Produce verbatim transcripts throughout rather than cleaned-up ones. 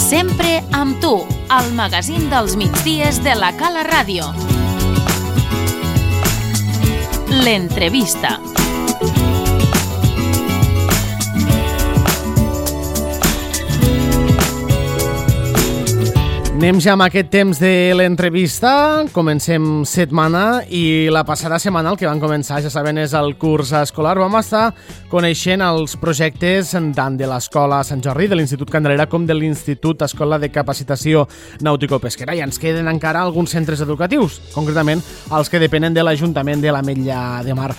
Sempre amb tu, al magazín dels migdies de la Cala Ràdio. L'entrevista. Anem ja amb aquest temps de l'entrevista. Comencem setmana i la passada setmana el que van començar, ja saben, és el curs escolar. Vam estar coneixent els projectes tant de l'Escola Sant Jordi, de l'Institut Candelera, com de l'Institut Escola de Capacitació Nàutico-Pesquera. I ens queden encara alguns centres educatius, concretament els que depenen de l'Ajuntament de l'Ametlla de Mar.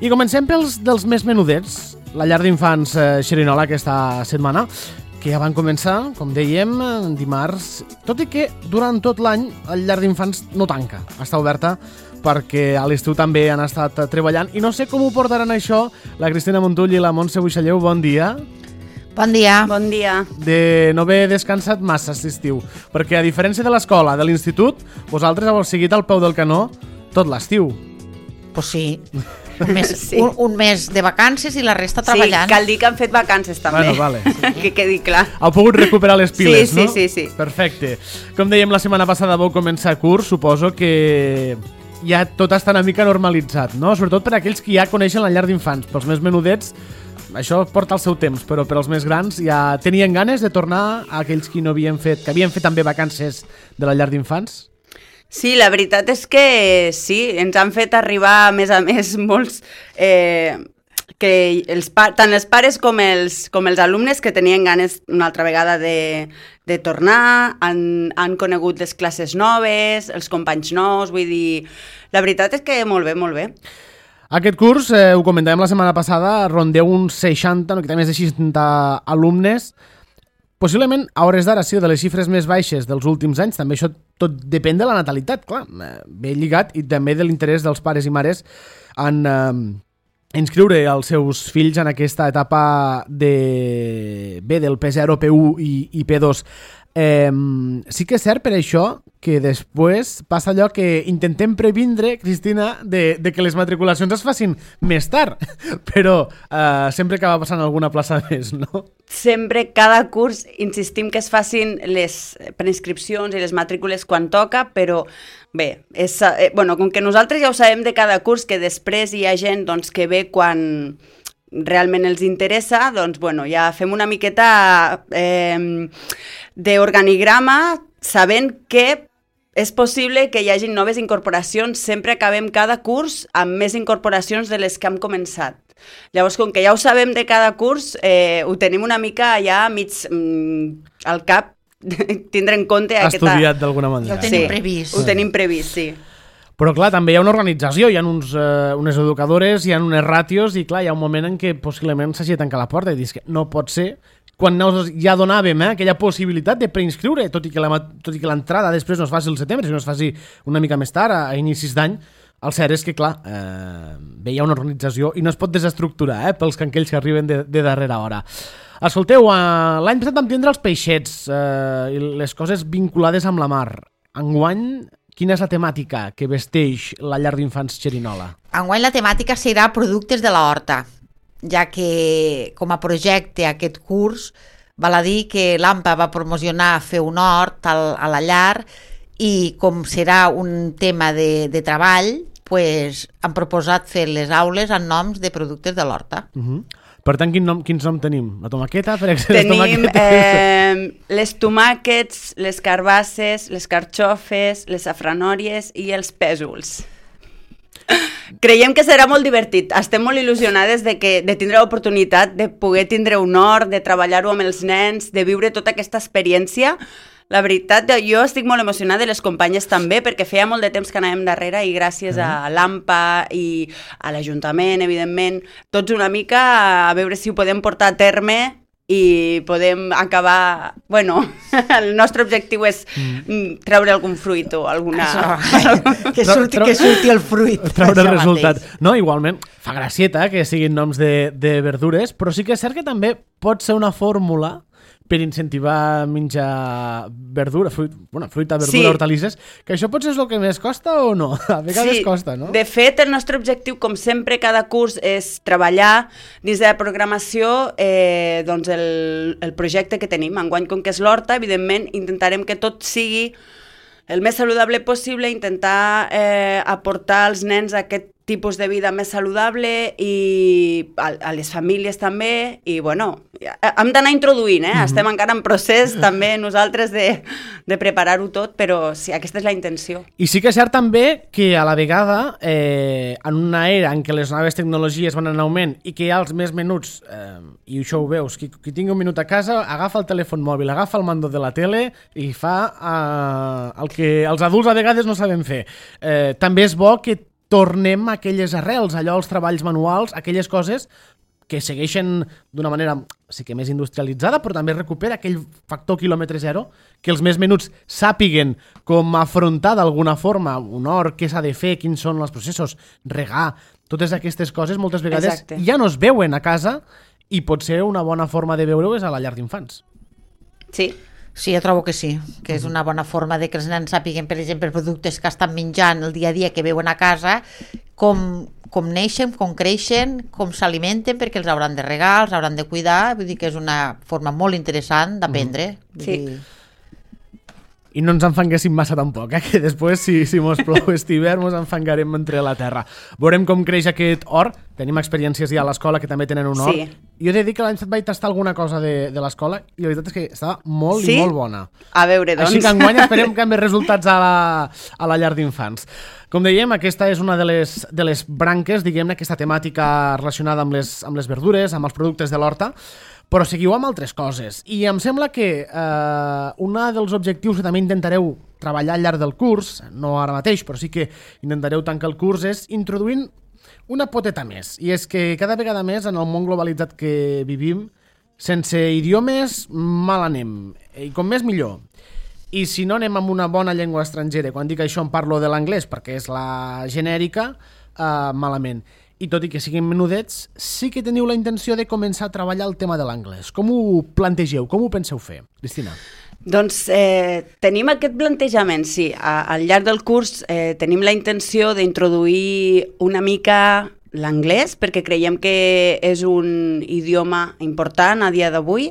I comencem pels dels més menudets, la llar d'infants eh, Xerinola aquesta setmana, que ja van començar, com dèiem, dimarts, tot i que durant tot l'any el llar d'infants no tanca, està oberta perquè a l'estiu també han estat treballant i no sé com ho portaran això la Cristina Montull i la Montse Buixalleu. Bon dia. Bon dia. Bon dia. De no haver descansat massa aquest estiu, perquè a diferència de l'escola, de l'institut, vosaltres heu seguit al peu del canó tot l'estiu. Pues sí. Un mes, sí. un, un mes de vacances i la resta treballant. Sí, cal dir que han fet vacances també. Bueno, vale. Sí. Que quedi clar. Heu pogut recuperar les piles, sí, no? Sí, sí, sí. Perfecte. Com dèiem, la setmana passada vau començar curs, suposo que ja tot està una mica normalitzat, no? Sobretot per aquells que ja coneixen la llar d'infants. Pels més menudets, això porta el seu temps, però per als més grans ja tenien ganes de tornar a aquells que no havien fet, que havien fet també vacances de la llar d'infants? Sí, la veritat és que sí, ens han fet arribar, a més a més, molts... Eh, que els, tant els pares com els, com els alumnes que tenien ganes una altra vegada de, de tornar, han, han conegut les classes noves, els companys nous, vull dir... La veritat és que molt bé, molt bé. Aquest curs, eh, ho comentàvem la setmana passada, rondeu uns seixanta, no, que té més de seixanta alumnes. Possiblement, a hores d'ara, sí, de les xifres més baixes dels últims anys. També això tot depèn de la natalitat, clar, ben lligat, i també de l'interès dels pares i mares en eh, inscriure els seus fills en aquesta etapa de, bé, del P zero, P u i, i P dos. Eh, sí que és cert per això que després passa allò que intentem previndre, Cristina, de, de que les matriculacions es facin més tard, però eh, sempre acaba passant alguna plaça més, no? Sempre, cada curs, insistim que es facin les preinscripcions i les matrícules quan toca, però bé, és, eh, bueno, com que nosaltres ja ho sabem de cada curs, que després hi ha gent doncs, que ve quan realment els interessa, doncs bueno, ja fem una miqueta eh, d'organigrama, sabent que és possible que hi hagi noves incorporacions. Sempre acabem cada curs amb més incorporacions de les que hem començat. Llavors, com que ja ho sabem de cada curs, eh, ho tenim una mica ja mig mm, al cap, tindre en compte... Estudiat aquesta... d'alguna manera. Ja ho tenim sí, previst. Ho tenim previst, sí. Però clar, també hi ha una organització, hi ha uns, uh, unes educadores, hi ha unes ràtios i clar, hi ha un moment en què possiblement s'hagi de tancar la porta i dius que no pot ser. Quan ja donàvem eh, aquella possibilitat de preinscriure, tot i que l'entrada després no es faci al setembre, sinó es faci una mica més tard, a, a inicis d'any, el cert és que, clar, eh, bé, hi ha una organització i no es pot desestructurar eh, pels canquells que arriben de, de darrera hora. Escolteu, uh, l'any passat vam tindre els peixets eh, i les coses vinculades amb la mar. Enguany, quina és la temàtica que vesteix la llar d'infants Xerinola? Enguany la temàtica serà productes de la horta, ja que com a projecte aquest curs val a dir que l'A M P A va promocionar fer un hort al, a la llar i com serà un tema de, de treball, pues, han proposat fer les aules amb noms de productes de l'horta. Uh-huh. Per tant, quin nom, quins noms tenim? La tomaqueta, per exemple? Tenim eh, les tomàquets, les carbasses, les carxofes, les safranòries i els pèsols. Creiem que serà molt divertit. Estem molt il·lusionades de, que, de tindre l'oportunitat de poder tindre un hort, de treballar-ho amb els nens, de viure tota aquesta experiència. La veritat, jo estic molt emocionada i les companyes també, perquè feia molt de temps que anàvem darrere i gràcies a l'A M P A i a l'Ajuntament, evidentment, tots una mica a veure si ho podem portar a terme i podem acabar... Bueno, el nostre objectiu és mm. treure algun fruit o alguna... Això, que, surti, que surti el fruit. Treure el resultat. Mateix. No, igualment, fa gracieta que siguin noms de, de verdures, però sí que és cert que també pot ser una fórmula per incentivar menjar verdura, fruit, bueno, fruita, verdura, Sí. hortalisses, que això potser és el que més costa o no? A vegades Sí, costa, no? De fet, el nostre objectiu, com sempre, cada curs és treballar dins de la programació eh, doncs el, el projecte que tenim. Enguany, com que és l'horta, evidentment, intentarem que tot sigui el més saludable possible, intentar eh, aportar als nens aquest tipus de vida més saludable i a, a les famílies també, i bueno, hem d'anar introduint, eh? Mm-hmm. Estem encara en procés també nosaltres de, de preparar-ho tot, però sí, aquesta és la intenció. I sí que és cert també que a la vegada, eh, en una era en què les noves tecnologies van en augment i que hi ha els més menuts, eh, i això ho veus, qui, qui tingui un minut a casa agafa el telèfon mòbil, agafa el mando de la tele i fa eh, el que els adults a vegades no saben fer. Eh, també és bo que tornem a aquelles arrels, allò, els treballs manuals, aquelles coses que segueixen d'una manera, sí que més industrialitzada, però també recupera aquell factor quilòmetre zero, que els més menuts sàpiguen com afrontar d'alguna forma un hort, què s'ha de fer, quins són els processos, regar, totes aquestes coses moltes vegades Exacte. ja no es veuen a casa i potser una bona forma de veure-ho és a la llar d'infants. Sí. Sí, jo trobo que sí, que és una bona forma de que els nens sàpiguen, per exemple, productes que estan menjant el dia a dia que veuen a casa, com, com neixen, com creixen, com s'alimenten, perquè els hauran de regar, els hauran de cuidar, vull dir que és una forma molt interessant d'aprendre. Mm. Sí. Dir... I no ens enfanguéssim massa tampoc, eh? Que després, si, si mos plou aquest hivern, mos enfangarem entre la terra. Veurem com creix aquest hort. Tenim experiències ja a l'escola que també tenen un hort. Sí. Jo he de dir que l'any passat vaig tastar alguna cosa de, de l'escola i la veritat és que estava molt Sí? i molt bona. A veure, doncs... Així que enguany esperem canviar resultats a la, a la llar d'infants. Com dèiem, aquesta és una de les, de les branques, diguem-ne, aquesta temàtica relacionada amb les, amb les verdures, amb els productes de l'horta, però seguiu amb altres coses. I em sembla que eh, un dels objectius que també intentareu treballar al llarg del curs, no ara mateix, però sí que intentareu tancar el curs, és introduint una poteta més. I és que cada vegada més en el món globalitzat que vivim, sense idiomes mal anem. I com més millor. I si no anem amb una bona llengua estrangera, quan dic això em parlo de l'anglès perquè és la genèrica, eh, malament. I tot i que siguin menudets, sí que teniu la intenció de començar a treballar el tema de l'anglès. Com ho plantegeu? Com ho penseu fer? Cristina. Doncs eh, tenim aquest plantejament, sí. A, al llarg del curs eh, tenim la intenció d'introduir una mica l'anglès, perquè creiem que és un idioma important a dia d'avui,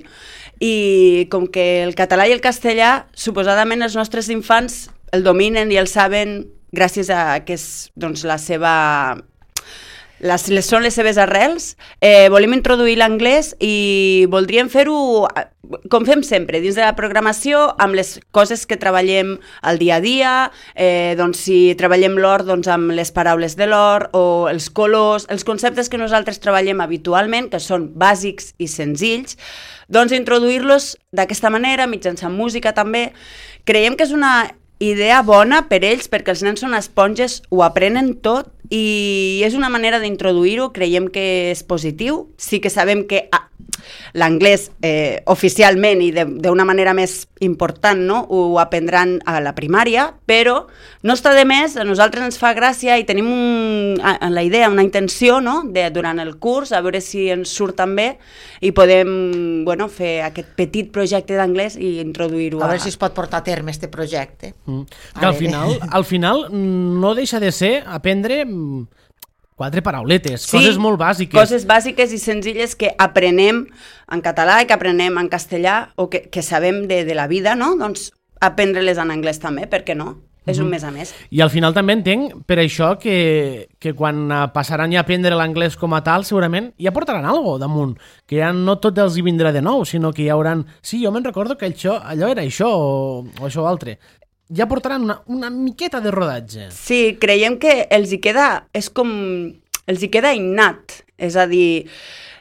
i com que el català i el castellà, suposadament els nostres infants el dominen i el saben gràcies a que és doncs, la seva... Les, les són les seves arrels, eh, volem introduir l'anglès i voldríem fer-ho com fem sempre, dins de la programació, amb les coses que treballem al dia a dia, eh, doncs si treballem l'hort, doncs amb les paraules de l'hort, o els colors, els conceptes que nosaltres treballem habitualment, que són bàsics i senzills, doncs introduir-los d'aquesta manera, mitjançant música també. Creiem que és una idea bona per ells, perquè els nens són esponges, ho aprenen tot, i és una manera d'introduir-ho, creiem que és positiu. Sí que sabem que ah, l'anglès eh, oficialment i d'una manera més important, no? Ho aprendran a la primària, però no està de més, a nosaltres ens fa gràcia i tenim un, en la idea, una intenció, no? De, durant el curs, a veure si ens surt també i podem bueno, fer aquest petit projecte d'anglès i introduir-ho. A veure si es pot portar a terme este projecte. Mm. Que al final, al final no deixa de ser aprendre quatre parauletes, sí, coses molt bàsiques. Coses bàsiques i senzilles que aprenem en català i que aprenem en castellà o que, que sabem de, de la vida, no? Doncs aprendre-les en anglès també, per què no? És un més a més. I al final també entenc per això que, que quan passaran ja a aprendre l'anglès com a tal, segurament ja portaran alguna cosa damunt, que ja no tot els hi vindrà de nou, sinó que ja hauran... Sí, jo me'n recordo que això, allò era això o, o això altre. Ja portaran una, una miqueta de rodatge. Sí, creiem que els hi queda... És com... Els hi queda innat. És a dir...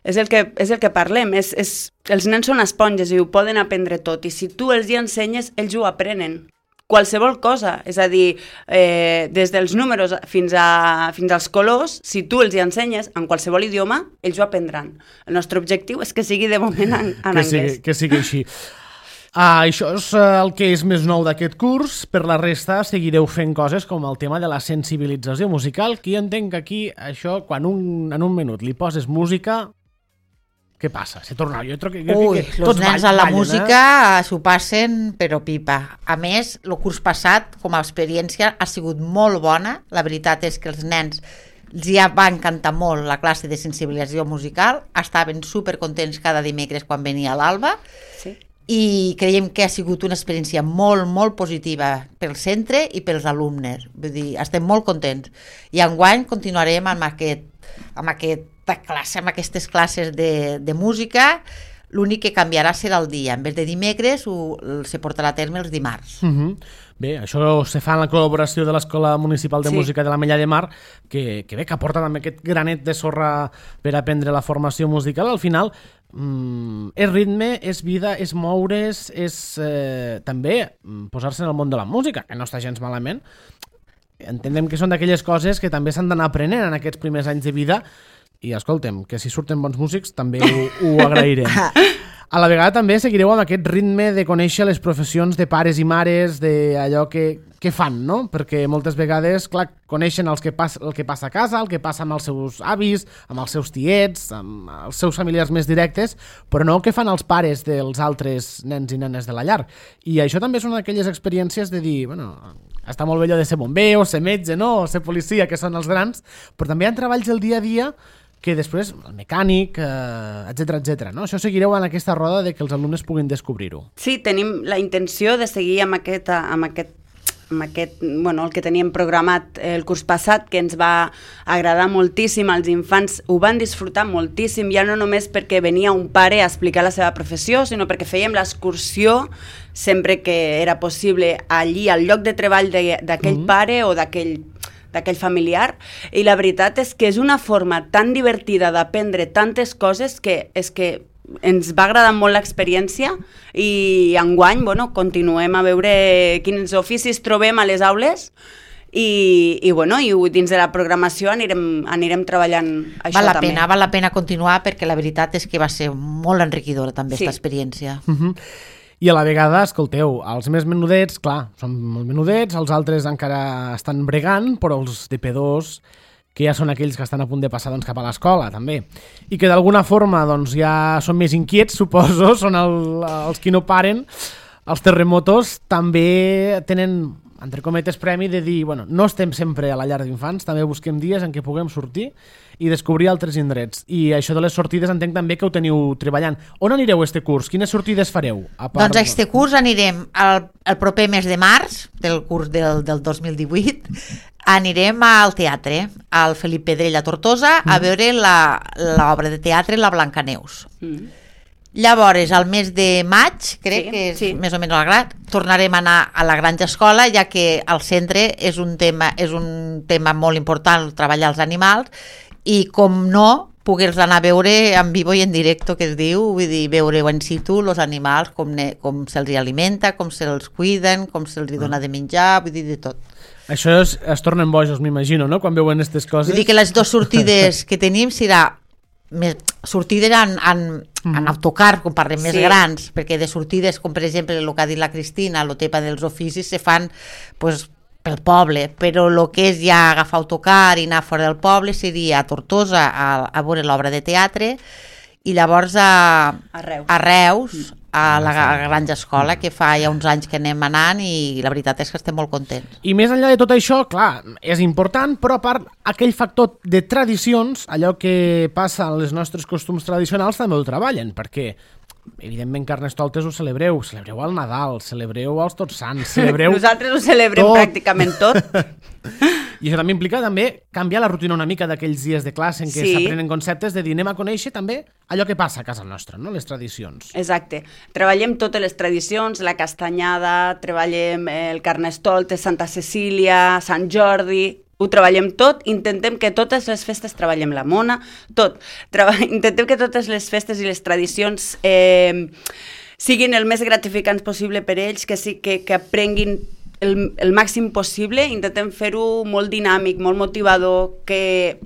És el que, és el que parlem. És, és, els nens són esponges i ho poden aprendre tot. I si tu els hi ensenyes, ells ho aprenen. Qualsevol cosa, és a dir, eh, des dels números fins, a, fins als colors, si tu els hi ensenyes en qualsevol idioma, ells ho aprendran. El nostre objectiu és que sigui de moment en, en que anglès. Sigui, que sigui així. Ah, això és el que és més nou d'aquest curs. Per la resta seguireu fent coses com el tema de la sensibilització musical, que jo entenc que aquí això, quan un, en un minut li poses música, què passa? Se torna, jo crec que, jo Ui, crec que els tots nens ballen, a la eh? música s'ho passen però pipa. A més, el curs passat, com a experiència, ha sigut molt bona. La veritat és que els nens ja va encantar molt la classe de sensibilització musical, estaven supercontents cada dimecres quan venia l'Alba, Sí. i creiem que ha sigut una experiència molt, molt positiva pel centre i pels alumnes. Vull dir, estem molt contents. I enguany continuarem amb, aquest, amb, aquesta classe, amb aquestes classes de, de música. L'únic que canviarà serà el dia. En vez de dimecres, ho, se portarà a terme els dimarts. Uh -huh. Bé, això se fa en la col·laboració de l'Escola Municipal de Sí. Música de la Mella de Mar, que, que bé, que aporta també aquest granet de sorra per aprendre la formació musical. Al final, mm, és ritme, és vida, és moure's, és eh, també posar-se en el món de la música, que no està gens malament. Entenem que són d'aquelles coses que també s'han d'anar aprenent en aquests primers anys de vida, i escoltem, que si surten bons músics també ho, ho agrairem. A la vegada també seguireu amb aquest ritme de conèixer les professions de pares i mares, d'allò que, que fan, no? Perquè moltes vegades, clar, coneixen els que pas, el que passa a casa, el que passa amb els seus avis, amb els seus tiets, amb els seus familiars més directes, però no el que fan els pares dels altres nens i nenes de la llar. I això també és una d'aquelles experiències de dir, bueno, està molt bé allò de ser bomber, o ser metge, no? O ser policia, que són els grans, però també hi ha treballs del dia a dia que després, el mecànic, eh, etcètera, etcètera, no? Això seguireu en aquesta roda de que els alumnes puguin descobrir-ho. Sí, tenim la intenció de seguir amb aquest, amb aquest, amb aquest bueno, el que teníem programat el curs passat, que ens va agradar moltíssim, els infants ho van disfrutar moltíssim, ja no només perquè venia un pare a explicar la seva professió, sinó perquè fèiem l'excursió sempre que era possible allí, al lloc de treball d'aquell mm-hmm. pare o d'aquell d'aquell familiar, i la veritat és que és una forma tan divertida d'aprendre tantes coses que és que ens va agradar molt l'experiència, i enguany, bueno, continuem a veure quins oficis trobem a les aules, i, i, bueno, i dins de la programació anirem, anirem treballant això val la també. Pena, val la pena continuar, perquè la veritat és que va ser molt enriquidora també Sí. aquesta experiència. Uh-huh. I a la vegada, escolteu, els més menudets, clar, són molt menudets, els altres encara estan bregant, però els de P dos, que ja són aquells que estan a punt de passar doncs, cap a l'escola, també. I que d'alguna forma doncs, ja són més inquiets, suposo, són el, els qui no paren. Els terremotos també tenen, entre cometes, premi de dir, bueno, no estem sempre a la llar d'infants, també busquem dies en què puguem sortir i descobrir altres indrets. I això de les sortides entenc també que ho teniu treballant. On anireu este curs? Quines sortides fareu? A part... Doncs este curs anirem al, al proper mes de març, del curs del, del dos mil divuit, anirem al teatre, al Felip Pedrell a Tortosa, a veure l'obra de teatre La Blancaneus. Mm. Llavors, al mes de maig, crec Sí, que és sí. més o menys al grat, tornarem a anar a la Granja Escola, ja que al centre és un tema, és un tema molt important treballar els animals, i com no, poder-los anar a veure en vivo i en directo, que es diu, vull dir, veure en situ els animals, com, ne, com se'ls alimenta, com se'ls cuiden, com se'ls dona de menjar, vull dir, de tot. Això es, es tornen bojos, m'imagino, no?, quan veuen aquestes coses. Vull dir que les dues sortides que tenim serà més, sortides en, en, mm. en autocar, com parlem més Sí. grans, perquè de sortides, com per exemple el que ha dit la Cristina, el tema dels oficis, se fan pues, pel poble, però el que és ja agafar autocar i anar fora del poble seria a Tortosa a, a veure l'obra de teatre, i llavors a, A Reus. a Reus, a la Granja Escola, que fa ja uns anys que anem anant, i la veritat és que estem molt contents. I més enllà de tot això, clar, és important, però a part aquell factor de tradicions, allò que passa en els nostres costums tradicionals, també ho treballen, perquè evidentment Carnestoltes ho celebreu, celebreu el Nadal, celebreu els Tots Sants, celebreu... Nosaltres ho celebrem tot. pràcticament tot. I això també implica també canviar la rutina una mica d'aquells dies de classe en què Sí. s'aprenen conceptes de dir anem a conèixer també allò que passa a casa nostra, no? Les tradicions. Exacte. Treballem totes les tradicions, la castanyada, treballem el Carnestoltes, Santa Cecília, Sant Jordi, ho treballem tot, intentem que totes les festes, treballem la mona, tot. Treba... Intentem que totes les festes i les tradicions eh, siguin el més gratificants possible per ells, que, sí, que, que aprenguin el, el màxim possible, intentem fer-ho molt dinàmic, molt motivador, que,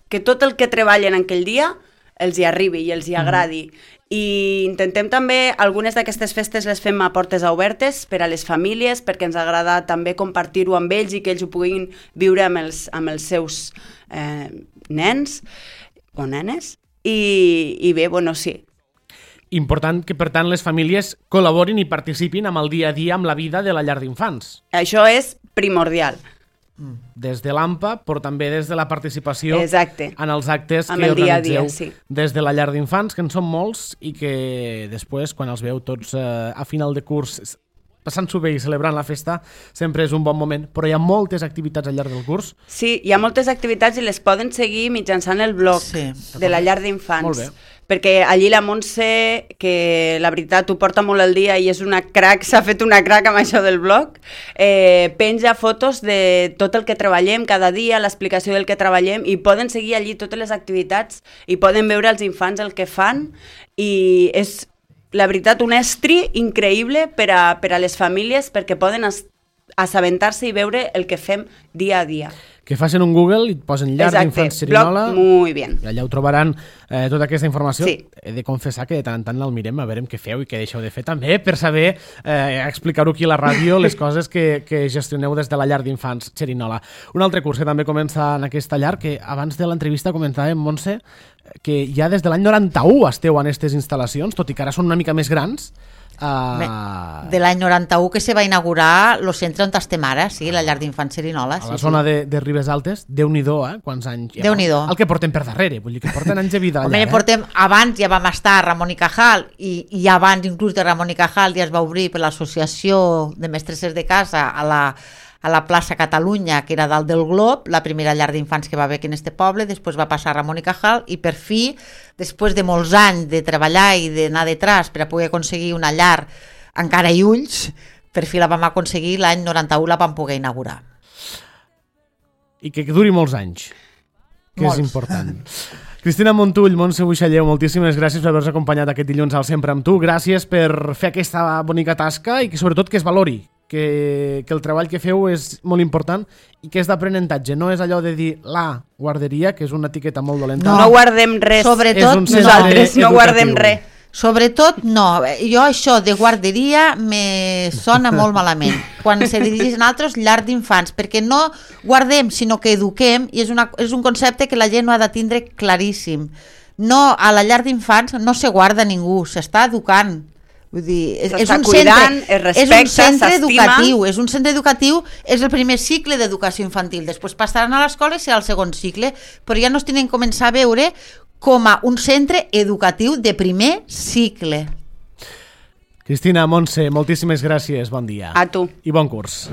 que tot el que treballen en aquell dia els hi arribi i els hi agradi. Mm. I intentem també, algunes d'aquestes festes les fem a portes obertes per a les famílies, perquè ens agrada també compartir-ho amb ells i que ells ho puguin viure amb els, amb els seus eh, nens o nenes. I, i bé, bueno, sí, important que, per tant, les famílies col·laborin i participin amb el dia a dia, amb la vida de la llar d'infants. Això és primordial. Des de l'A M P A, però també des de la participació Exacte. en els actes Amb que el dia a organitzeu dia, sí. des de la llar d'infants, que en són molts i que després, quan els veu tots eh, a final de curs passant-s'ho bé i celebrant la festa, sempre és un bon moment. Però hi ha moltes activitats al llarg del curs. Sí, hi ha moltes activitats i les poden seguir mitjançant el blog Sí. de la llar Molt d'infants. bé. Perquè allí la Montse, que la veritat ho porta molt al dia i és una crac, s'ha fet una crac amb això del blog, eh, penja fotos de tot el que treballem cada dia, l'explicació del que treballem, i poden seguir allí totes les activitats i poden veure els infants el que fan, i és, la veritat, un estri increïble per a, per a les famílies, perquè poden as- assabentar-se i veure el que fem dia a dia. Que facin un Google i et posen llar d'infants Xerinola. blog muy bien. I allà ho trobaran eh, tota aquesta informació. Sí. He de confessar que de tant en tant el mirem a veure què feu i què deixeu de fer també, per saber eh, explicar-ho aquí a la ràdio, les coses que, que gestioneu des de la llar d'infants Xerinola. Un altre curs que també comença en aquesta llar, que abans de l'entrevista comentàvem, Montse, que ja des de l'any noranta-u esteu en aquestes instal·lacions, tot i que ara són una mica més grans. Uh... De l'any noranta-u que se va inaugurar el centre on estem ara, sí, la llar d'infants Xerinola. A Sí, la sí. zona de, de Ribes Altes, Déu-n'hi-do, eh? Quants anys... Ja, Déu-n'hi-do. El que portem per darrere, vull dir que porten anys de vida allà. Home, eh? portem, abans ja vam estar a Ramon i Cajal, i, i abans inclús de Ramon i Cajal ja es va obrir per l'associació de mestresses de casa a la, a la plaça Catalunya, que era dalt del Glob, la primera llar d'infants que va haver aquí en este poble, després va passar a Ramon i Cajal, i per fi, després de molts anys de treballar i d'anar detrás per a poder aconseguir una llar encara i ulls, per fi la vam aconseguir, l'any noranta-u la vam poder inaugurar. I que duri molts anys, que Molts. és important. Cristina Montull, Montse Buixalleu, moltíssimes gràcies per haver-nos acompanyat aquest dilluns al Sempre amb tu. Gràcies per fer aquesta bonica tasca i que sobretot que es valori, que, que el treball que feu és molt important i que és d'aprenentatge. No és allò de dir la guarderia, que és una etiqueta molt dolenta. No, no guardem res. Sobretot, És un centre nosaltres no educatiu. guardem res. Sobretot no, jo això de guarderia me sona molt malament quan se dirigeixen altres llar d'infants, perquè no guardem sinó que eduquem, i és, una, és un concepte que la gent no ha de tindre claríssim. No, a la llar d'infants no se guarda ningú, s'està educant. Vull dir, és, és un cuidant, centre, es respecta, és un centre s'estima. educatiu, és un centre educatiu, és el primer cicle d'educació infantil, després passaran a l'escola i serà el segon cicle, però ja no es tenen que començar a veure com a un centre educatiu de primer cicle. Cristina, Montse, moltíssimes gràcies, bon dia. A tu. I bon curs.